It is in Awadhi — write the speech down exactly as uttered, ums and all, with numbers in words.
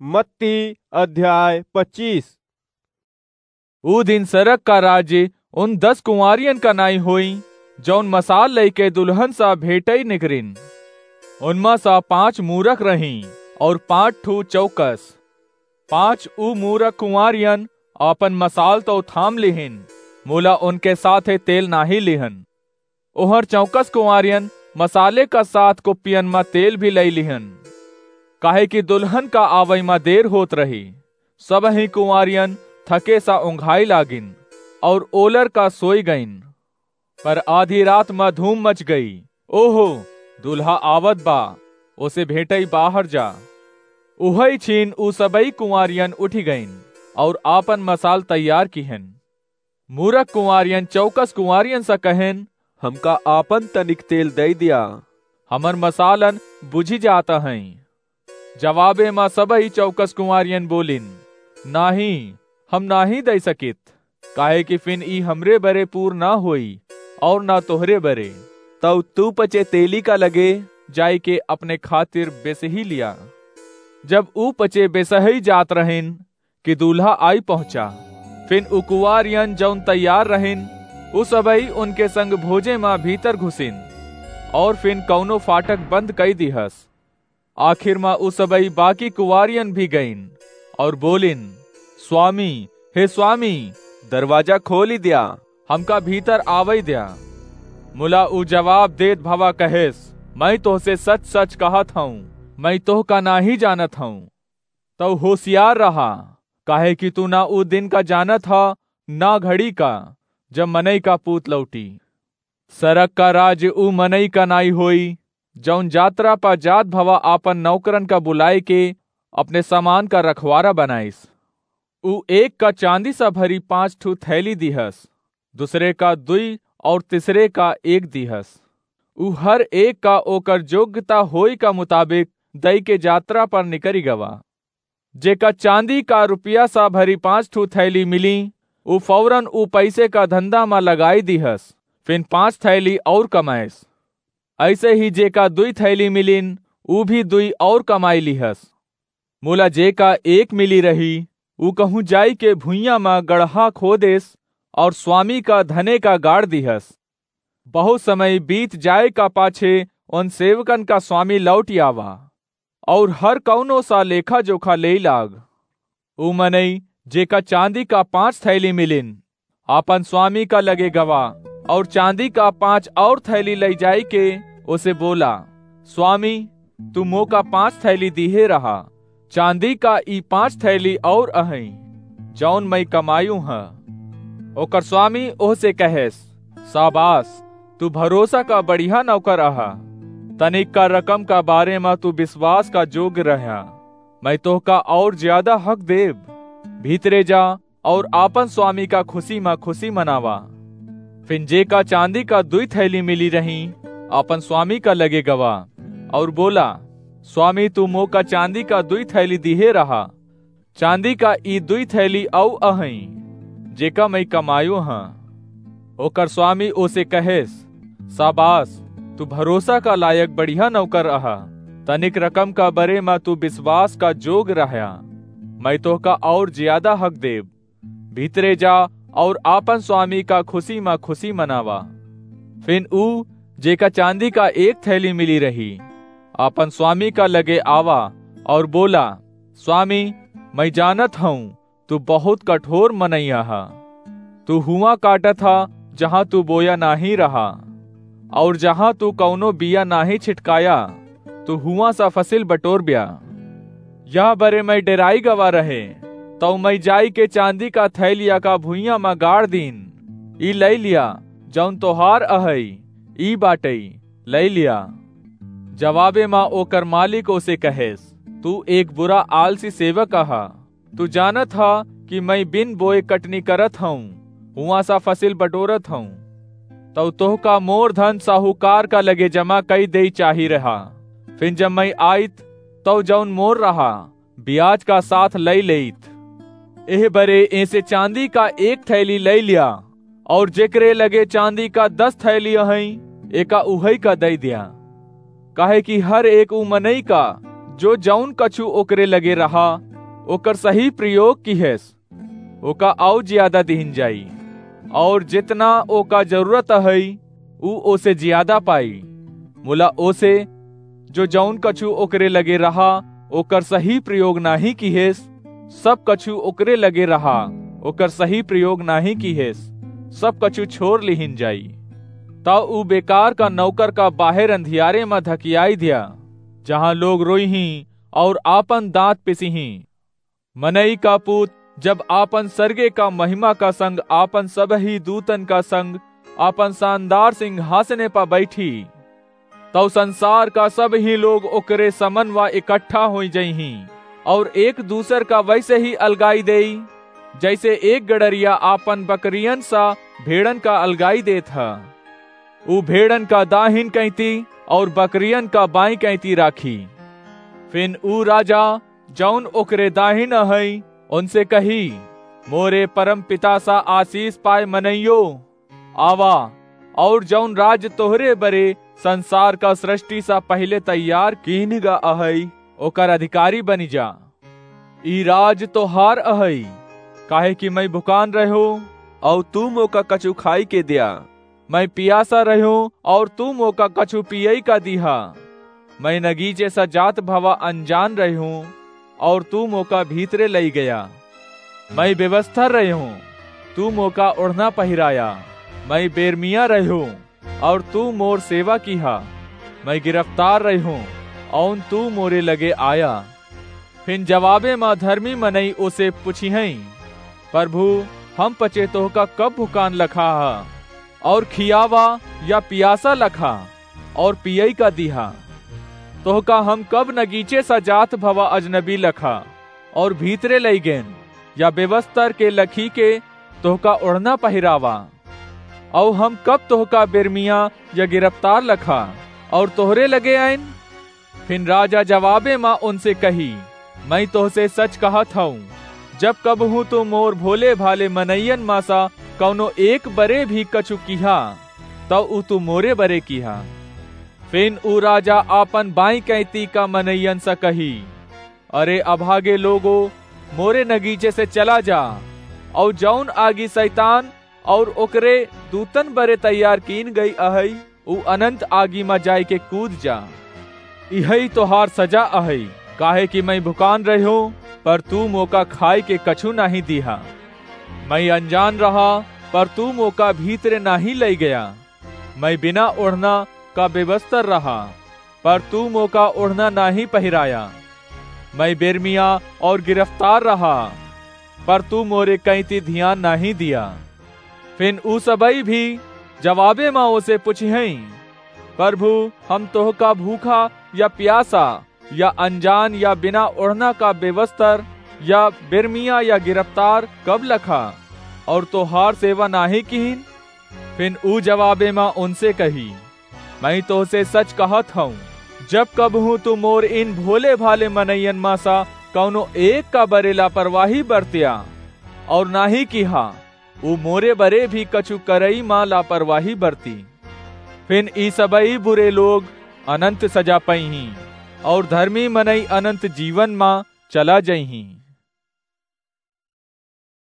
मत्ती अध्याय पच्चीस। ऊ दिन सरग का राज्य उन दस कुँवारियन का नाई होई, जौन मसाल लइके दुलहन सा भेटइ निकरिन। उनमा सा पाँच मूरख रहीं अउर पाँच ठू चौकस। पाँच ऊ मूरख कुँवारियन आपन मसाल तउ थाम लिहिन, मुला उनके साथे तेल नाहीं लिहन। ओहर चौकस कुँवारियन मसाले का साथ कुप्पियन मा तेल भी लइ लिहन, काहे कि दुलहन का आवइ मा देर होत रही। सबहीं कुँवारियन थके सा उंघाइ लागिन अउर ओलर का सोइ गइन। पर आधी रात मा धूम मच गई, "ओहो, दुलहा आवत बा, ओसे भेटइ बाहर जा।" उहइ छीन ऊ सबइ कुँवारियन उठि गइन अउर आपन मसाल तैयार किहन। मूरख कुँवारियन चौकस कुँवारियन सा कहेन, "हमका आपन तनिक तेल दइ दिया, हमर मसालन बुझि जात हइँ।" जवाबे मा सबही चौकस कुँवारियन बोलिन, "नाहीं, हम नाहीं दइ सकित, काहे कि फिन ई हमरे बरे पूर ना होई अउर ना तोहरे बरे। तउ तू पचे तेली का लगे जाइके अपने खातिर बेसही लिया।" जब ऊ पचे बेसही जात रहिन, कि दूल्हा आइ पहुँचा। फिन उ कुँवारियन जउन तैयार रहिन, उ सबई उनके संग भोजे मा भीतर घुसिन, अउर फिन कउनो फाटक बंद कइ दिहस। आखिर मा उ सबई बाकी कुँवारियन भी गइन, अउर बोलिन, "स्वामी, हे स्वामी, दरवाजा खोलि द्या, हमका भीतर आवइ द्या।" मुला उ जवाब देत भवा कहेस, "मइँ तोहसे सच-सच कहत हउँ, मइँ तोहका नाहीं जानत हउँ।" तउ होसियार रहा, काहे कि तू ना उ दिन का जानत ह, ना घड़ी का, जब मनई का पूत लौटी। सरग का राज उ मनई का नाई होई, जउन जात्रा प जात भवा आपन नौकरन का बुलाइके अपने सामान का रखवारा बनाइस। उ एक का चाँदी स भरी पाँच ठू थैली दिहस, दुसरे का दुई अउर तिसरे का एक दिहस। उ हर एक का ओकर जोग्यता होई का मुताबिक दइके जात्रा पर निकरि गवा। जेका चाँदी का रुपया स भरी पाँच ठू थैली मिली, उ फौरन उ पइसे का धंधा म लगाइ दिहस, फिन पाँच थैली अउर कमाइस। अइसे ही जेका दुई थैली मिलिन, उ भी दुई अउर कमाइ लिहस। मुला जेका एक मिली रही, उ कहूँ जाइके भुइयाँ म गड़हा खोदेस अउर स्वामी का धने का गाड़ दिहस। बहुत समय बीत जाए का पाछे उन सेवकन का स्वामी लौटि आवा अउर हर कउनो सा लेखा-जोखा लेइ लाग। उ मनई जेका चाँदी का पाँच थैली मिलिन, आपन स्वामी का लगे गवा अउर चाँदी का पाँच अउर थैली लइ जाइके ओसे बोला, "स्वामी, तू मोका पाँच थैली दिहे रहा। चाँदी का ई पाँच थैली अउर अहइँ, जउन मइँ कमायु ह।" ओकर स्वामी ओहसे कहेस, "साबास, तू भरोसा का बढ़िया नौकर अहा। तनिक का रकम का बारे म तू बिसवास का जोग्य रह्या, मइँ तोहका अउर ज्यादा हक देब। भीतरे जा अउर आपन स्वामी का खुसी म खुसी मनावा।" फिन जेका चाँदी का दुई थैली मिली रही, आपन स्वामी का लगे गवा अउर बोला, "स्वामी, तू मोका चाँदी का दुई थैली दिहे रहा। चाँदी का ई दुई थैली अउ अहइँ, जेका मइँ कमायो हँ।" ओकर स्वामी ओसे कहेस, "साबास, तू भरोसा का लायक बढ़िया नौकर अहा। तनिक रकम का बरे म तू बिसवास का जोग रह्या, मइँ तोहका अउर ज्यादा हक देब। भीतरे जा अउर आपन स्वामी का खुसी म खुसी मनावा।" फिन ऊ, जेका चाँदी का एक थैली मिली रही, आपन स्वामी का लगे आवा अउर बोला, "स्वामी, मइँ जानत हउँ, तू बहुत कठोर मनई अहा। तू हुआँ काटत ह, जहाँ तू बोया नाहीं रहा, अउर जहाँ तू कउनो बिया नाहीं छिटकाया, तू हुआँ सा फसिल बटोरब्या। यह बरे मइँ डेराइ गवा रहे, तउ मइँ जाइके चाँदी का थैलिया का भुइयाँ म गाड़ दीन। ई लइ लिया, जउन तोहार अहइ, ई बाटइ, लइ लिया।" जवाबे म ओकर मालिक ओसे कहेस, "तू एक बुरा आलसी सेवक अहा। तू जानत ह कि मइँ बिन बोए कटनी करत हउँ, हुआँ सा फसिल बटोरत हउँ। तउ तोहका मोर धन साहूकार का लगे जमा कइ देइ चाही रहा। फिन जब मइँ आइत, तउ जउन मोर रहा, बियाज का साथ लइ लेइत। एह बरे एसे चाँदी का एक थैली लइ लिया, अउर जेकरे लगे चाँदी का दस थैली अहइँ, एका उहइ का दइ द्या। काहे कि हर एक उ मनई का, जो जउन कछु ओकरे लगे रहा, ओकर सही प्रयोग किहेस, ओका अउ ज्यादा दिहिन जाई, और जेतना ओका जरूरत अहइ, ऊ ओसे ज्यादा पाई। मुला ओसे, जो जउन कछु ओकरे लगे रहा, ओकर सही प्रयोग नाहीं किहेस, सब कछु ओकरे लगे रहा, ओकर सही प्रयोग नाहीं किहेस, सब कछु छोर लिहिन जाई। तउ ऊ बेकार का नौकर का बाहेर अंधियारे म धकियाई द्या, जहाँ लोग रोइहीं और आपन दाँत पिसिहीं। मनई का पूत जब आपन सरगे का महिमा का संग आपन सबही दूतन का संग आपन सानदार सिंहासने प बैठी, तउ संसार का सबही लोग ओकरे समनवा इकट्ठा होइ जइहीं, और एक दूसर का वइसे ही अलगाई देई, जइसे एक गड़रिया आपन बकरियन सा भेड़न का अलगाई देत ह। ऊ भेड़न का दाहिन कैंती और बकरियन का बाईं कैंती राखी। फिन ऊ राजा, जउन ओकरे दाहिन अहइ, उनसे कही, मोरे परम पिता सा आसीस पाए मनइयो, आवा, और जउन राज तोहरे बरे संसार का सृष्टि सा पहिले तैयार कीन गा अहइ, ओकर अधिकारी बनि जा। ई राज तोहार अहइ, काहे कि मइँ भुकान रह्यों, और तू मोका कछु खाइके द्या। मइँ पियासा रह्यों, और तू मोका कछु पियइ का दिहा। मइँ नगीचे सा जात भवा अनजान रह्यों, और तू मोका भीतरे लइ गया। मइँ बेवस्तर रह्यों, तू मोका ओढ़ना पहिराया। मइँ बेरमिया रह्यों, और तू मोर सेवा किहा। मइँ गिरफ्तार रह्यों, और तू मोरे लगे आया। फिन जवाबे म धर्मी मनई ओसे पुछिहइँ, परभू, हम पचे तोहका कब भुकान लखा ह, और खियावा या पियासा लखा, और पियइ का दिहा? तोहका हम कब नगीचे सा जात भवा अजनबी लखा, और भीतरे लइ गेन, या बेवस्तर के लखी के तोहका ओढ़ना पहिरावा? अउ हम कब तोहका बेरमिया या गिरफ्तार लखा, और तोहरे लगे आइन? फिन राजा जवाबे म उनसे कही, मइँ तोहसे सच कहत हउँ, जब कबहूँ तू मोर भोले भाले मनइयन म सा कउनो एक बरे भी कछु किहा, तउ ऊ तू मोरे बरे किहा। फिन ऊ राजा आपन बाईं कैंती का मनइयन सा कही, अरे अभागे लोगो, मोरे नगीचे से चला जा, अउ जउन आगी सैतान और ओकरे दूतन बरे तैयार कीन गई अहइ, ऊ अनंत आगी म जाइके कूद जा। इहइ तोहार सजा अहइ, काहे कि मइँ भुकान रह्यों, पर तू मोका खाइके कछु नाहीं दिहा। मइँ अनजान रहा, पर तू मोका भीतरे नाहीं लइ गया। मइँ बिना ओढ़ना का बेवस्तर रहा, पर तू मोका ओढ़ना नाहीं पहिराया। मइँ बेरमिया और गिरफ्तार रहा, पर तू मोरे कैंती धियान नाहीं दिया। फिन ऊ सबई भी जवाबे म ओसे पुछिहइँ, परभू, हम तोहका भूखा या पियासा या अनजान या बिना ओढ़ना का बेवस्तर या बेरमिया या गिरफ्तार कब लखा, और तोहार सेवा नाहीं किहिन? फिन ऊ जवाबे म उनसे कही, मइँ तोहसे सच कहत हउँ, जब कबहूँ तू मोर इन भोले भाले मनइयन म सा कउनो एक का बरे लापरवाही बरत्या, और नाहीं किहा, ऊ मोरे बरे भी कछु करई म लापरवाही बरती। फिन ई सबई बुरे लोग अनंत सजा पइहीं, और धर्मी मनई अनंत जीवन म चला जइहीं।